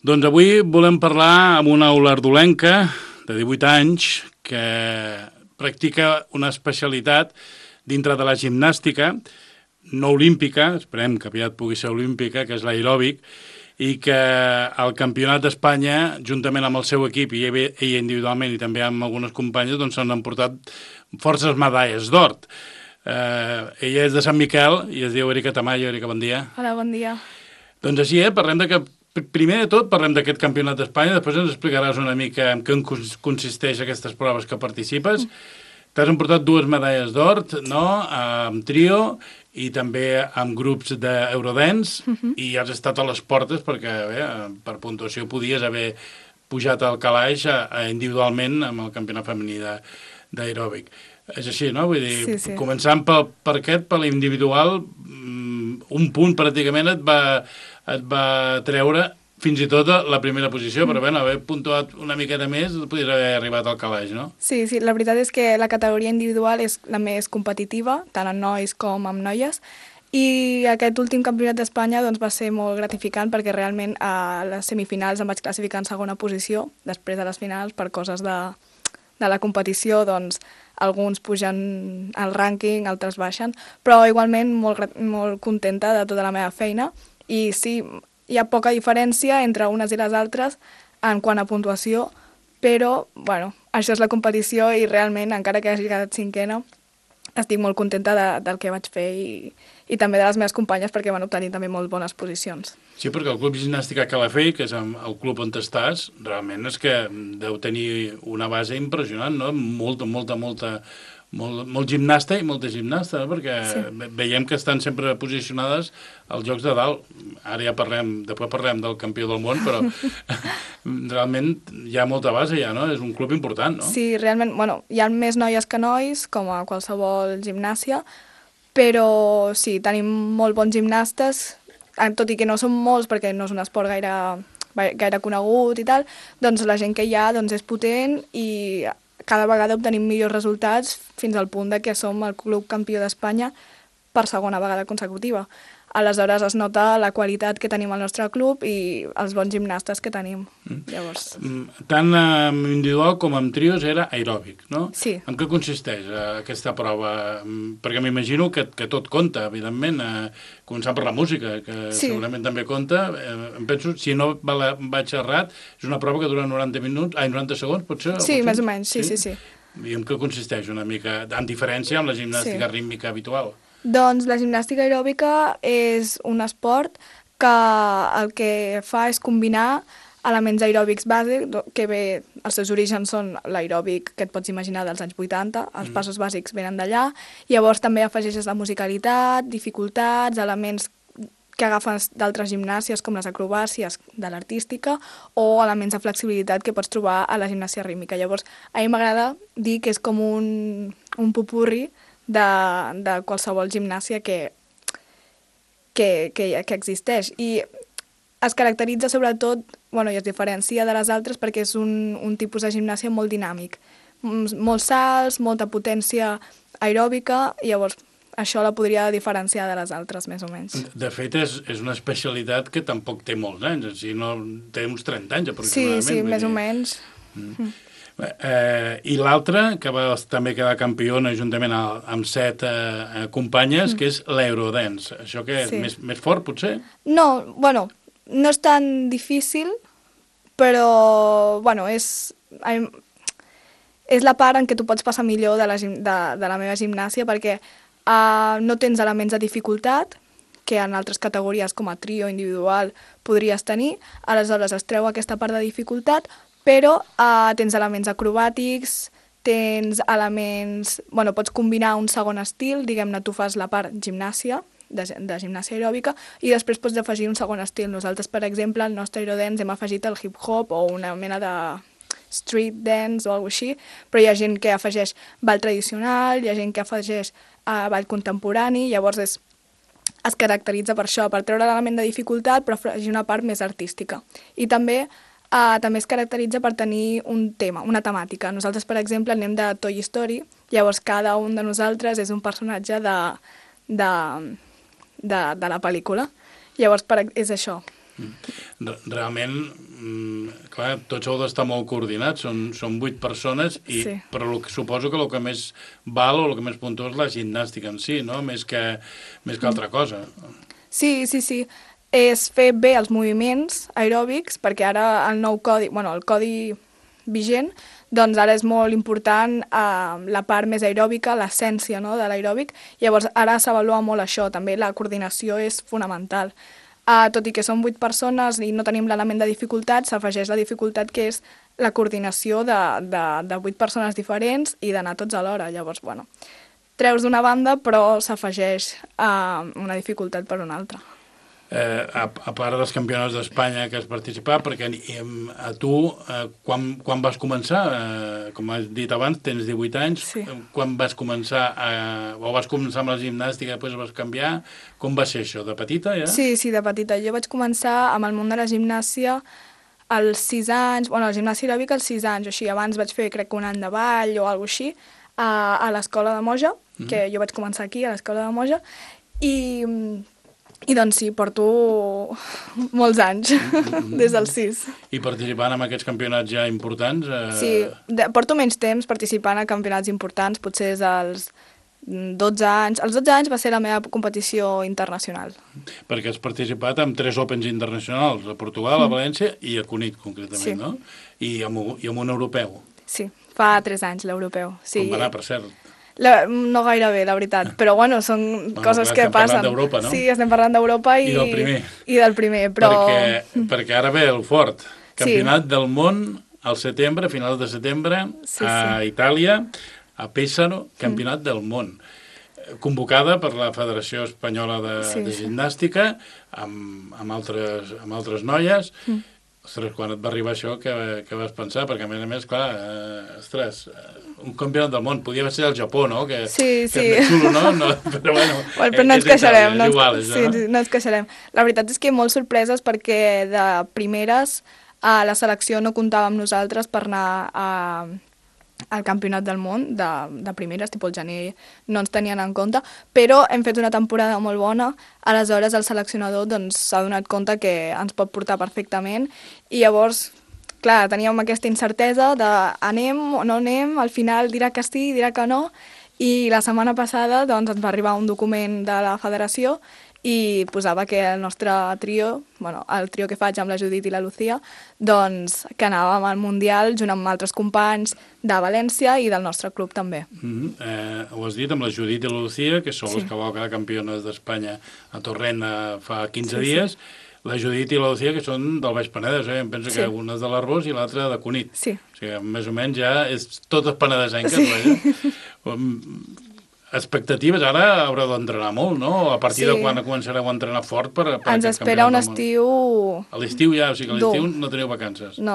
Doncs avui volem parlar amb una olardolenca de 18 anys que practica una especialitat dintre de la gimnàstica, no olímpica, esperem que aviat pugui ser olímpica, que és l'aeròbic, i que al Campionat d'Espanya, juntament amb el seu equip i ella individualment i també amb algunes companyes, doncs s'han emportat forces medalles d'or. Ella és de Sant Miquel i es diu Erika Tamayo. Erika, bon dia. Hola, bon dia. Doncs així, parlem de que primer de tot parlem d'aquest Campionat d'Espanya, després ens explicaràs una mica en què consisteix aquestes proves que participes. T'has emportat 2 medalles d'or, no?, amb trio i també amb grups d'Eurodance, i has estat a les portes perquè, bé, per puntuació podies haver pujat al calaix individualment amb el campionat femení d'aeròbic. És així, no? Vull dir, Sí. començant per l'individual, un punt pràcticament et va treure fins i tot la primera posició, però bé, haver puntuat una miqueta més podries haver arribat al calaix, no? Sí, la veritat és que la categoria individual és la més competitiva, tant en nois com en noies, i aquest últim campionat d'Espanya doncs, va ser molt gratificant perquè realment a les semifinals em vaig classificar en segona posició, després de les finals, per coses de la competició, doncs alguns pugen al rànquing, altres baixen, però igualment molt contenta de tota la meva feina, i sí, hi ha poca diferència entre unes i les altres en quant a puntuació, però, bueno, això és la competició i realment, encara que hagi quedat cinquena, estic molt contenta del que vaig fer i també de les meves companyes perquè van obtenir també molt bones posicions. Sí, perquè el Club Gimnàstica Calafell, que és el club on estàs, realment és que deu tenir una base impressionant, no? Molt gimnasta i molta gimnasta, no? Perquè veiem que estan sempre posicionades als Jocs de Dalt. Ara ja després parlem del campió del món, però realment hi ha molta base ja, no? És un club important, no? Sí, realment, bueno, hi ha més noies que nois, com a qualsevol gimnàsia, però sí, tenim molt bons gimnastes, tot i que no són molts perquè no és un esport gaire conegut i tal, doncs la gent que hi ha doncs, és potent i cada vegada obtenim millors resultats fins al punt de que som el club campió d'Espanya per segona vegada consecutiva. Aleshores es nota la qualitat que tenim al nostre club i els bons gimnastes que tenim. Llavors... Tant en individual com en trios era aeròbic, no? Sí. En què consisteix aquesta prova? Perquè m'imagino que tot compta, evidentment, començant per la música, que segurament també compta. Em penso, si no vaig errat, és una prova que dura 90 segons, potser? Sí, més o menys, sí. I en què consisteix una mica, en diferència amb la gimnàstica rítmica habitual? Doncs la gimnàstica aeròbica és un esport que el que fa és combinar elements aeròbics bàsics, que bé, els seus orígens són l'aeròbic que et pots imaginar dels anys 80, els passos bàsics venen d'allà, llavors també afegeixes la musicalitat, dificultats, elements que agafes d'altres gimnàsies com les acrobàcies de l'artística o elements de flexibilitat que pots trobar a la gimnàsia rítmica. Llavors, a mi m'agrada dir que és com un popurri de qualsevol gimnàsia que existeix. I es caracteritza sobretot, i es diferencia de les altres perquè és un tipus de gimnàsia molt dinàmic. Molts salts, molta potència aeròbica, i llavors això la podria diferenciar de les altres, més o menys. De fet, és una especialitat que tampoc té molts anys, si no té uns 30 anys aproximadament. Sí, més o menys. I l'altra, que va també quedar campiona juntament amb 7 companyes, que és l'Eurodance. Això que és més fort, potser? No, no és tan difícil, però, és la part en què tu pots passar millor de la meva gimnàsia, perquè no tens elements de dificultat, que en altres categories com a trio individual podries tenir, aleshores es treu aquesta part de dificultat, però tens elements acrobàtics, tens elements... pots combinar un segon estil, diguem-ne, tu fas la part gimnàsia, de gimnàsia aeròbica, i després pots afegir un segon estil. Nosaltres, per exemple, al nostre aerodance hem afegit el hip-hop o una mena de street dance o alguna cosa així, però hi ha gent que afegeix ball tradicional, hi ha gent que afegeix ball contemporani, llavors es caracteritza per això, per treure l'element de dificultat, però afegir una part més artística. I també es caracteritza per tenir un tema, una temàtica. Nosaltres, per exemple, anem de Toy Story, llavors cada un de nosaltres és un personatge de la pel·lícula. Llavors és això. Realment, clar, tots heu d'estar molt coordinats, són 8 persones, però suposo que el que més val o el que més puntua és la gimnàstica en si, no? Més que altra cosa. Sí. És fer bé els moviments aeròbics, perquè ara el nou codi, el codi vigent, doncs ara és molt important la part més aeròbica, l'essència, no?, de l'aeròbic. Llavors ara s'avalua molt això, també la coordinació és fonamental. Tot i que som 8 persones i no tenim l'element de dificultat, s'afegeix la dificultat que és la coordinació de 8 persones diferents i d'anar tots alhora. Llavors, treus d'una banda però s'afegeix una dificultat per una altra. A part dels campionats d'Espanya que has participat, perquè a tu, quan vas començar, com has dit abans, tens 18 anys, quan vas començar, o vas començar amb la gimnàstica i després vas canviar, com va ser això, de petita ja? Sí, de petita. Jo vaig començar amb el món de la gimnàsia als 6 anys, la gimnàsia aeròbica als 6 anys, o així, abans vaig fer, crec que un any de ball o alguna cosa així, a l'escola de Moja, que jo vaig començar aquí, a l'escola de Moja, i doncs sí, porto molts anys, des dels 6. I participant en aquests campionats ja importants? Sí, porto menys temps participant a campionats importants, potser és als 12 anys. Als 12 anys va ser la meva competició internacional. Perquè has participat en 3 Opens internacionals, a Portugal, a València i a Cunit, concretament, no? I amb un europeu. Sí, fa 3 anys, l'europeu. Com va anar, per cert? No gaire bé, la veritat, però són coses que passen. Estem parlant d'Europa, no? Sí, estem parlant d'Europa i del primer, però... Perquè ara ve el fort. Campionat del món al setembre, a finals de setembre, a Itàlia, a Pésaro, campionat del món. Convocada per la Federació Espanyola de Gimnàstica, amb altres noies. Ostres, quan et va arribar això, què vas pensar? Perquè, a més, clar, un campionat del món, podia ser el Japó, no? Que és més xulo, no? Però però no ens queixarem. És igual, això, no? Sí, no ens queixarem. La veritat és que molt sorpreses perquè de primeres a la selecció no comptava amb nosaltres per anar al campionat del món, de primeres, tipus el gener, no ens tenien en compte, però hem fet una temporada molt bona, aleshores el seleccionador s'ha donat compte que ens pot portar perfectament i llavors, clar, teníem aquesta incertesa de anem o no anem, al final dirà que sí, dirà que no, i la setmana passada ens va arribar un document de la federació i posava que el nostre trio, el trio que faig amb la Judit i la Lucía, que anàvem al Mundial junt amb altres companys de València i del nostre club també. Ho has dit, amb la Judit i la Lucía, que són les que vau quedar campiones d'Espanya a Torrent fa 15 dies. La Judit i la Lucía, que són del Baix Penedès, em penso que una és de l'Arboç i l'altra de Cunit. Sí. O sigui, més o menys ja és totes penedesenques, expectatives, ara haureu d'entrenar molt, no? A partir de quan començareu a entrenar fort per ens espera un estiu... A l'estiu ja, o sigui que a l'estiu no teniu vacances. No.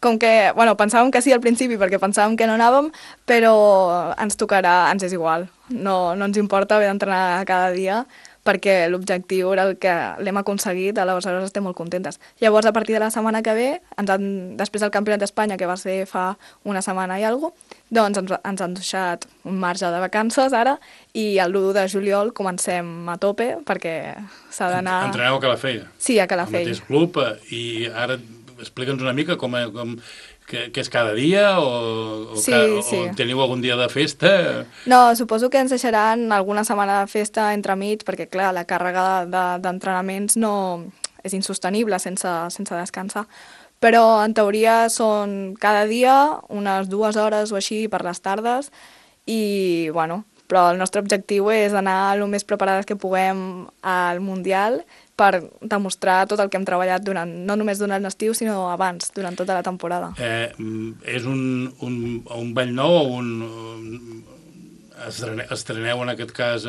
Com que, pensàvem que sí al principi perquè pensàvem que no anàvem, però ens tocarà, ens és igual. No ens importa haver d'entrenar cada dia perquè l'objectiu era el que l'hem aconseguit, aleshores estem molt contentes. Llavors, a partir de la setmana que ve, després del Campionat d'Espanya, que va ser fa una setmana i alguna cosa, doncs ens han deixat un marge de vacances ara i el 1 de juliol comencem a tope perquè s'ha d'anar... Entreneu a Calafell? Sí, a Calafell. Al mateix club, i ara explica'ns una mica que és cada dia o teniu algun dia de festa? No, suposo que ens deixaran alguna setmana de festa entremig perquè, clar, la càrrega d'entrenaments no és insostenible sense descansar. Però, en teoria, són cada dia unes 2 hores o així per les tardes i, però el nostre objectiu és anar el més preparades que puguem al Mundial per demostrar tot el que hem treballat no només durant l'estiu, sinó abans, durant tota la temporada. És un ball nou o estreneu en aquest cas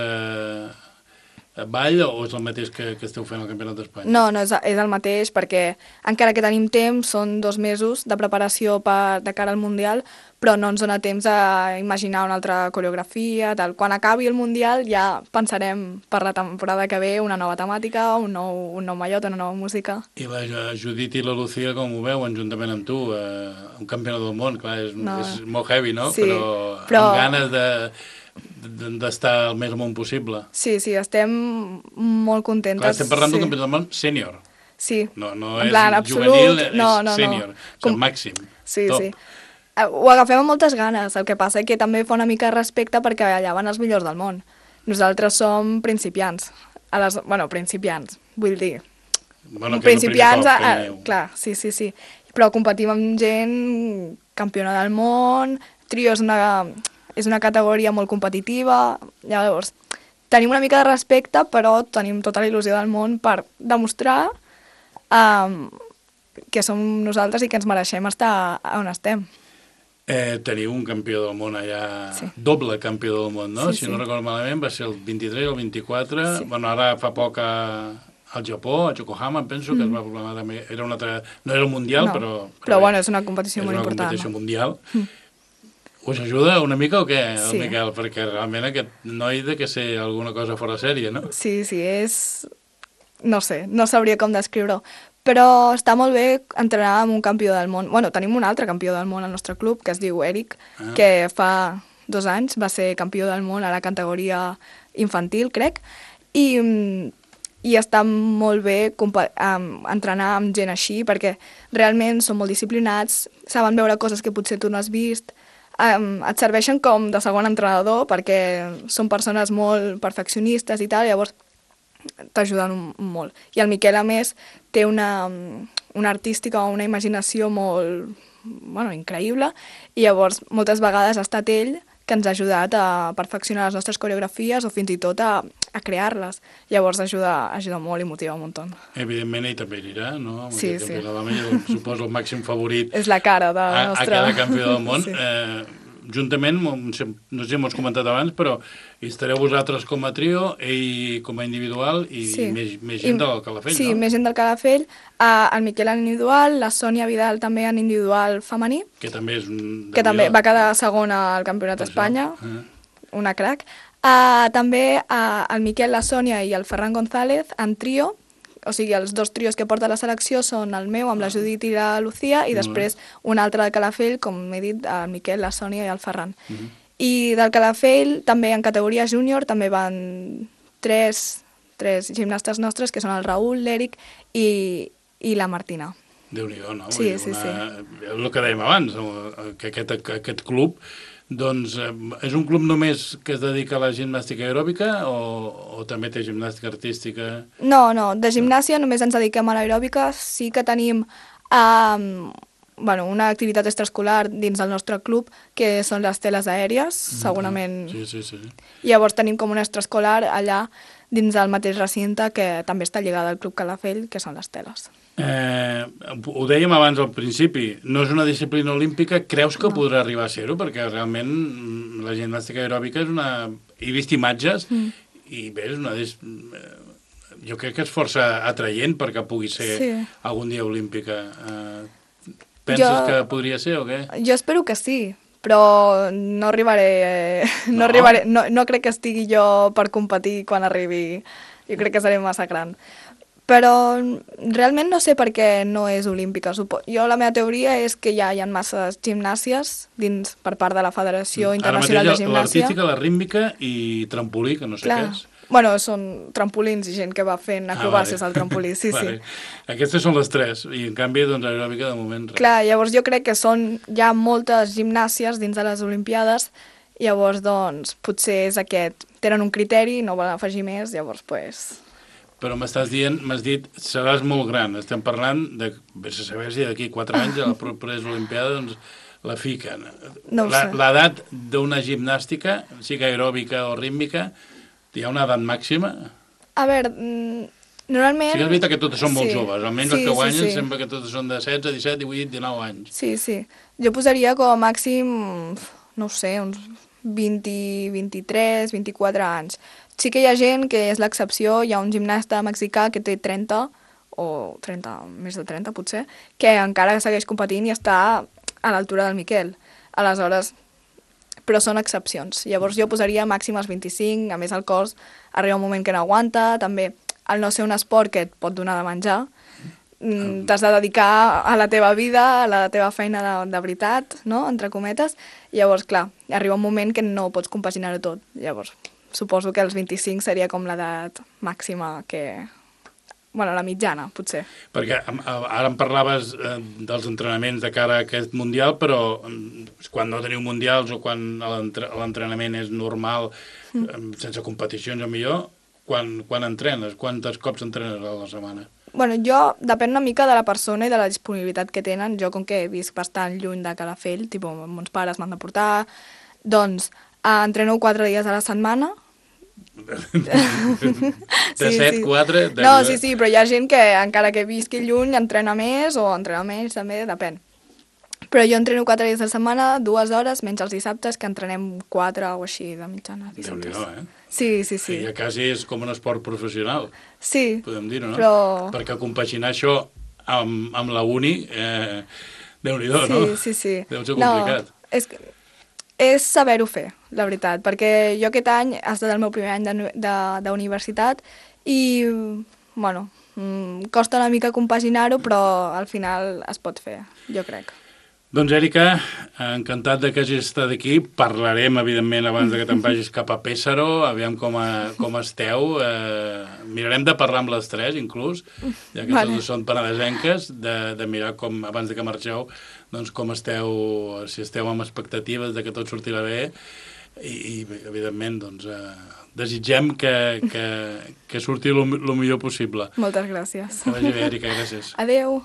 ball o és el mateix que esteu fent al Campionat d'Espanya? No, és el mateix perquè encara que tenim temps, són 2 mesos de preparació de cara al Mundial, però no ens dona temps a imaginar una altra coreografia, tal. Quan acabi el Mundial ja pensarem per la temporada que ve una nova temàtica, un nou mallot, una nova música. I la Judit i la Lucía, com ho veuen juntament amb tu? Un campionat del món, clar, és molt heavy, no? Sí, però amb ganes d'estar el més amunt possible. Sí, estem molt contentes. Clar, estem parlant d'un campionat del món sènior. Sí. No En és plan, juvenil, absolut. No, és sènior, és el màxim. Sí, top. sí. Ho agafem amb moltes ganes, el que passa que també fa una mica de respecte perquè allà van els millors del món. Nosaltres som principiants. Bueno, principiants, vull dir. Bueno, que Principiants, és el primer cop que clar, sí, sí, sí. Però competim amb gent campiona del món, trio és una categoria molt competitiva, llavors tenim una mica de respecte, però tenim tota la il·lusió del món per demostrar que som nosaltres i que ens mereixem estar on estem. Teniu un campió del món allà, Sí. doble campió del món, no? Sí, Si no recordo malament, va ser el 23 o el 24. Sí. Bueno, ara fa poc al Japó, a Yokohama, em penso, que es va proclamar també. Era una altra, no era el Mundial, No, però bueno, és una competició molt important. És una competició mundial. Us ajuda una mica o què, el Sí. Miquel? Perquè realment aquest noi de que ser alguna cosa fora sèrie, no? Sí, sí, és... No sé, no sabria com descriure-ho. Però està molt bé entrenar amb un campió del món. Bueno, tenim un altre campió del món al nostre club, que es diu Eric, que fa 2 anys va ser campió del món a la categoria infantil, crec, i està molt bé entrenar amb gent així, perquè realment són molt disciplinats, saben veure coses que potser tu no has vist, et serveixen com de segon entrenador, perquè són persones molt perfeccionistes i tal, llavors t'ajuden molt. I el Miquel, a més, té una artística o una imaginació molt increïble, i llavors moltes vegades ha estat ell que ens ha ajudat a perfeccionar les nostres coreografies o fins i tot a crear-les. Llavors ajuda molt i motiva un muntó. Evidentment ell també anirà, no? Sí, sí. Suposo el màxim favorit és la cara de la nostra... a cada campió del món. Sí. Juntament, no sé si m'ho has comentat abans, però hi estareu vosaltres com a trio, ell com a individual i Sí. més gent del Calafell, Sí, no? més gent del Calafell, el Miquel en individual, la Sònia Vidal també en individual femení, Que també és un... que també va quedar segona al Campionat d'Espanya, una crac. També el Miquel, la Sònia i el Ferran González en trio, o sigui, els 2 trios que porta la selecció són el meu amb la Judit i la Lucía, i després un altre del Calafell, com he dit, el Miquel, la Sònia i el Ferran. I del Calafell, també en categoria júnior, també van 3 gimnastes nostres, que són el Raül, l'Eric i la Martina. Déu-n'hi-do, no? Sí, sí, sí. El que dèiem abans, que aquest club doncs és un club només que es dedica a la gimnàstica aeròbica o també té gimnàstica artística? No, de gimnàsia només ens dediquem a l'aeròbica. Sí que tenim una activitat extraescolar dins del nostre club, que són les teles aèries, segurament. Sí. Llavors tenim com un extraescolar allà dins del mateix recinte, que també està lligada al Club Calafell, que són les teles. Ho dèiem abans al principi, no és una disciplina olímpica, creus que podrà arribar a ser-ho? Perquè realment la gimnàstica aeròbica és una... He vist imatges i bé, és una... Jo crec que és força atraient perquè pugui ser algun dia olímpica. Penses que podria ser o què? Jo espero que sí, però no arribaré... No crec que estigui jo per competir quan arribi. Jo crec que seré massa gran. Però realment no sé per què no és olímpica. Jo la meva teoria és que ja hi ha masses gimnàsies per part de la Federació Internacional de Gimnàsia. L'artística, la rítmica i trampolí, que no sé què és. Bueno, són trampolins i gent que va fent acrobàcies al trampolí, sí. Aquestes són les 3, i en canvi, doncs, aeròbica de moment... Clar, llavors jo crec que hi ha moltes gimnàsies dins de les Olimpiades, llavors, doncs, potser és aquest. Tenen un criteri, no volen afegir més, llavors, doncs... Però m'estàs dient, m'has dit, seràs molt gran. Estem parlant de, vés a saber si d'aquí 4 anys a la propera Olimpiada, doncs, la fiquen. No ho sé. L'edat d'una gimnàstica, sigui aeròbica o rítmica, hi ha una edat màxima? A veure, normalment... Sí que és veritat que totes són molt joves, almenys els que guanyen sembla que totes són de 16, 17, 18, 19 anys. Sí. Jo posaria com a màxim, no ho sé, uns 20, 23, 24 anys. Sí que hi ha gent que és l'excepció, hi ha un gimnasta mexicà que té 30, o 30, més de 30 potser, que encara segueix competint i està a l'altura del Miquel. Aleshores, però són excepcions. Llavors jo posaria màxim als 25, a més el cos arriba un moment que no aguanta, també al no ser un esport que et pot donar de menjar, t'has de dedicar a la teva vida, a la teva feina de veritat, no?, entre cometes. Llavors, clar, arriba un moment que no pots compaginar-ho tot. Llavors, suposo que els 25 seria com l'edat màxima que bueno, la mitjana, potser. Perquè ara em parlaves dels entrenaments de cara a aquest Mundial, però quan no teniu Mundials o quan l'entrenament és normal, sense competicions o millor, quan entrenes? Quantes cops entrenes a la setmana? Bueno, jo, depèn una mica de la persona i de la disponibilitat que tenen. Jo, com que visc bastant lluny de Calafell, tipus, mons pares m'han de portar, doncs entreno 4 dies a la setmana. De 7, 4... No, sí, però hi ha gent que, encara que visqui lluny, entrena més o entrena menys, també, depèn. Però jo entreno 4 dies a la setmana, 2 hores, menys els dissabtes, que entrenem 4 o així de mitjana. Déu-n'hi-do, eh? Sí. Ja quasi és com un esport professional. Sí. Podem dir-ho, no? Però... Perquè compaginar això amb la uni, Déu-n'hi-do, no? Sí. Deu ser complicat. No, és saber-ho fer, la veritat, perquè jo aquest any ha estat el meu primer any d'universitat i, bueno, costa una mica compaginar-ho, però al final es pot fer, jo crec. Doncs, Èrica, encantat de que hagis estat aquí. Parlarem, evidentment, abans que te'n vagis cap a Pésaro, aviam com esteu. Mirarem de parlar amb les tres, inclús, ja que totes són penedesenques, de mirar com, abans que marxeu, doncs com esteu, si esteu amb expectatives de que tot sortirà bé i evidentment, doncs, desitgem que surti el millor possible. Moltes gràcies. Que vagi bé, Èrica, gràcies. Adéu.